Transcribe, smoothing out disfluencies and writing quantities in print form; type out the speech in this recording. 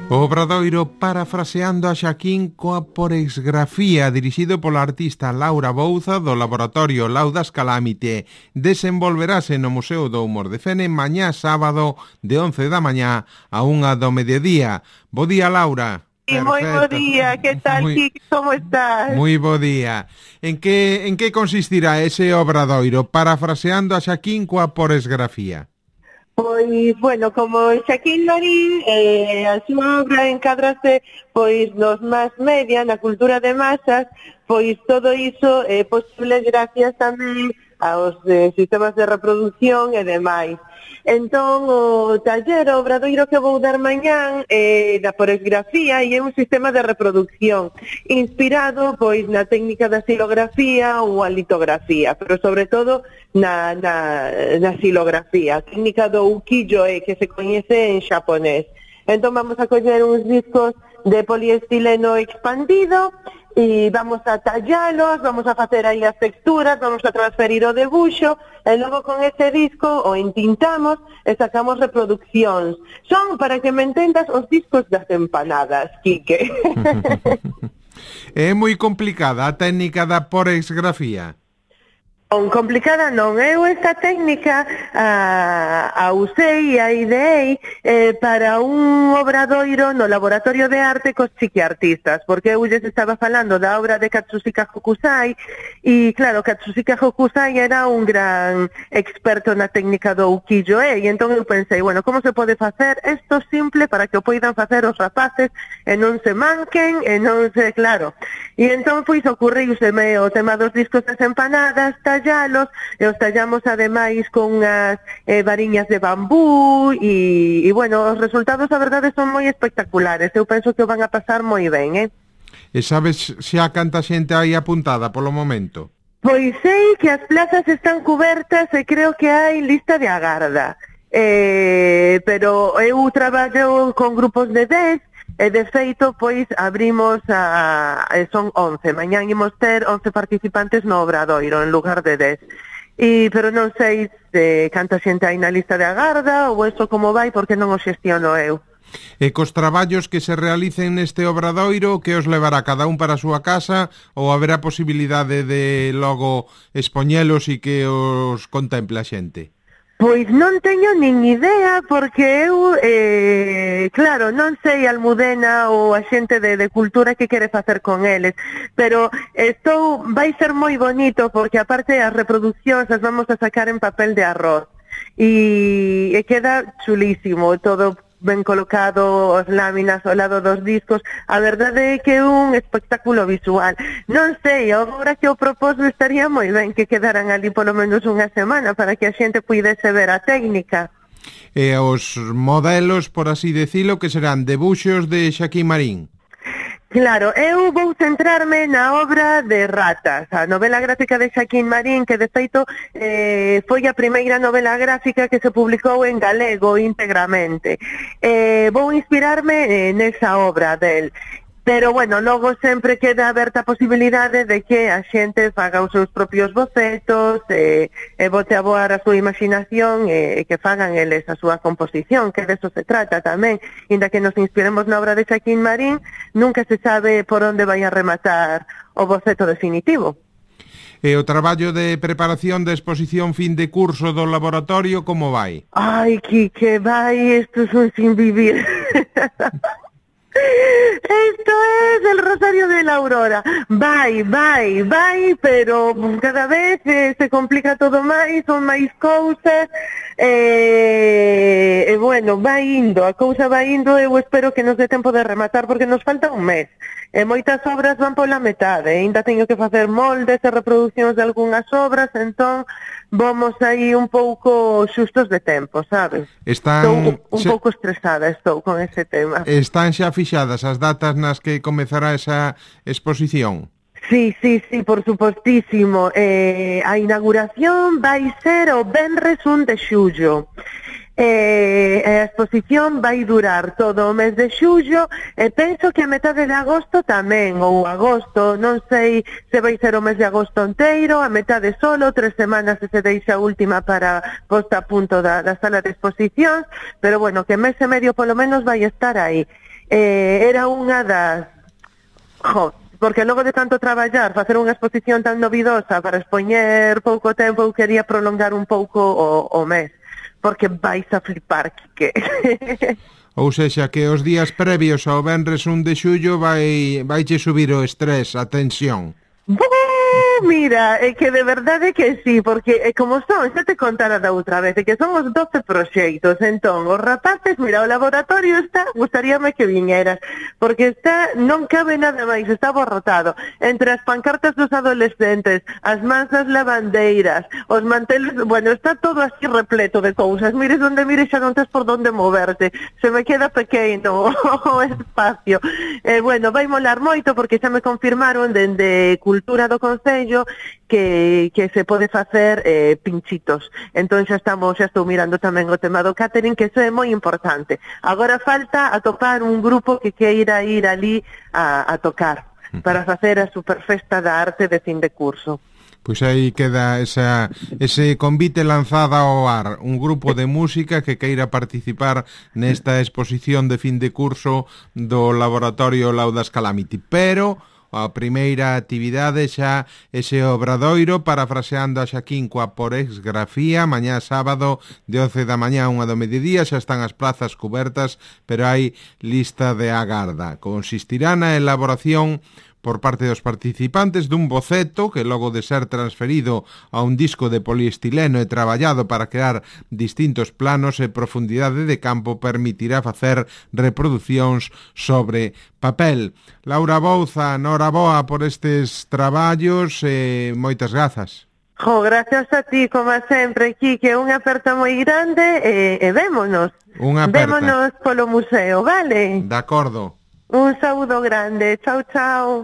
O Obradoiro parafraseando a Xaquín coa porexgrafía, dirixido pola artista Laura Bouza do Laboratorio Laudas Calamite. Desenvolverase no Museo do Humor de Fene mañá sábado de 11 da mañá a 1 do mediodía. Bo día, Laura. Sí, moi bo día, que tal, Kiki, como estás? Moi bo día. En que consistirá ese Obradoiro parafraseando a Xaquín coa porexgrafía? Pois, bueno, como Xaquín Marín, a súa obra encadrase, pois, nos más media, na cultura de masas, pois todo iso é posible gracias tamén aos sistemas de reproducción e demais. Entón, o taller, o obradoiro que vou dar mañán da porexgrafía e é un sistema de reproducción inspirado, pois, na técnica da xilografía ou a litografía, pero sobre todo na xilografía, a técnica do ukiyo-e que se coñece en xaponés. Entón vamos a coller uns discos de poliestileno expandido e vamos a tallalos, vamos a facer aí as texturas, vamos a transferir o debuxo e logo con ese disco o entintamos e sacamos reproduccións. Son, para que me entendas, os discos das empanadas, Quique. É moi complicada a técnica da porexgrafía. Complicada non, eu esta técnica a usei e a ideei para un obradoiro no Laboratorio de Arte cos chiquiartistas, porque eu lles estaba falando da obra de Katsushika Hokusai e claro, Katsushika Hokusai era un gran experto na técnica do ukiyo-e e entón eu pensei, bueno, como se pode facer isto simple para que o poidan facer os rapaces e non se manquen e non se, claro, e entón pois ocurriuseme o tema dos discos das empanadas, tallalos, e os tallamos ademais con as variñas de bambú e bueno, os resultados a verdade son moi espectaculares, eu penso que o van a pasar moi ben, E sabes xa canta xente aí apuntada polo momento? Pois sei que as plazas están cubertas e creo que hai lista de agarda, pero eu traballo con grupos de 10 e de feito, pois, abrimos son 11, mañán imos ter 11 participantes no obradoiro en lugar de 10. Pero non sei se canta xente aí na lista de agarda ou eso como vai, porque non o xestiono eu. E cos traballos que se realicen neste obradoiro, que os levará cada un para a súa casa ou haberá posibilidade de logo expoñelos e que os contemple a xente? Pois non teño nin idea, porque eu, claro, non sei a Almudena ou a xente de cultura que quere facer con eles, pero vai ser moi bonito, porque aparte as reproduccións as vamos a sacar en papel de arroz, e queda chulísimo, todo ben colocado, as láminas ao lado dos discos, a verdade é que é un espectáculo visual. Non sei, agora que o proposto estaría moi ben que quedaran ali polo menos unha semana para que a xente puidese ver a técnica. E os modelos, por así decilo, que serán debuxos de Xaquín Marín. Claro, eu vou centrarme na obra de Ratas, a novela gráfica de Xaquín Marín, que de feito foi a primeira novela gráfica que se publicou en galego íntegramente. Vou inspirarme nesa obra del. Pero, bueno, logo sempre queda aberta a posibilidade de que a xente faga os seus propios bocetos, e bote a voar a súa imaginación e que fagan eles a súa composición, que deso se trata tamén. Inda que nos inspiremos na obra de Xaquín Marín, nunca se sabe por onde vai a rematar o boceto definitivo. E o traballo de preparación de exposición fin de curso do laboratorio, como vai? Ai, que vai, isto son sin vivir. Esto es el Rosario de la Aurora. Vai, pero cada vez se complica todo máis, son máis cousas, bueno, vai indo, a cousa vai indo, eu espero que nos dé tempo de rematar, porque nos falta un mes. Moitas obras van pola metade, ainda teño que facer moldes e reproduccións de algunhas obras, entón vamos aí un pouco xustos de tempo, sabes? Estou un pouco estresada con ese tema. Están xa fixadas as datas nas que comezará esa exposición? Sí, por supostísimo. A inauguración vai ser o venres 1 de xullo. A exposición vai durar todo o mes de xullo e penso que a metade de agosto tamén, ou agosto, non sei se vai ser o mes de agosto inteiro, a metade solo, 3 semanas se deixa a última para posta a punto da sala de exposicións, pero bueno, que mes e medio polo menos vai estar aí. Era unha das... porque logo de tanto traballar, facer unha exposición tan novidosa para expoñer pouco tempo, eu quería prolongar un pouco o mes, porque vais a flipar, Quique. Ou sexa, que os días previos ao venres 1 de xullo vaiche subir o estrés, a tensión. Mira, é que de verdade que sí, porque como son, xa te contara da outra vez, que son os 12 proxectos, entón, os rapaces, mira, o laboratorio está, gustaríame que viñeras, porque está, non cabe nada máis, está abarrotado, entre as pancartas dos adolescentes, as mansas lavandeiras, os manteles, bueno, está todo así repleto de cousas, mires onde mires xa non tes por onde moverte, se me queda pequeno o espacio, bueno, vai molar moito, porque xa me confirmaron dende Cultura do Concello que se pode facer pinchitos. Entón xa estou mirando tamén o tema do catering, que iso é moi importante. Agora falta atopar un grupo que queira ir ali a tocar para facer a superfesta da arte de fin de curso. Pois aí queda ese convite lanzada ao ar, un grupo de música que queira participar nesta exposición de fin de curso do Laboratorio Laudas Calamity, pero a primeira actividade xa ese obradoiro parafraseando a Xaquín coa porexgrafía, mañá sábado de 11 da mañá a 1 do mediodía, xa están as plazas cubertas, pero hai lista de agarda. Consistirá na elaboración por parte dos participantes dun boceto que logo de ser transferido a un disco de poliestileno e traballado para crear distintos planos e profundidade de campo permitirá facer reproduccións sobre papel. Laura Bouza, noraboa por estes traballos e moitas grazas. Gracias a ti, como sempre, Quique, unha aperta moi grande e vémonos. Vémonos polo museo, vale? De acordo. Un saúdo grande, chao, chao.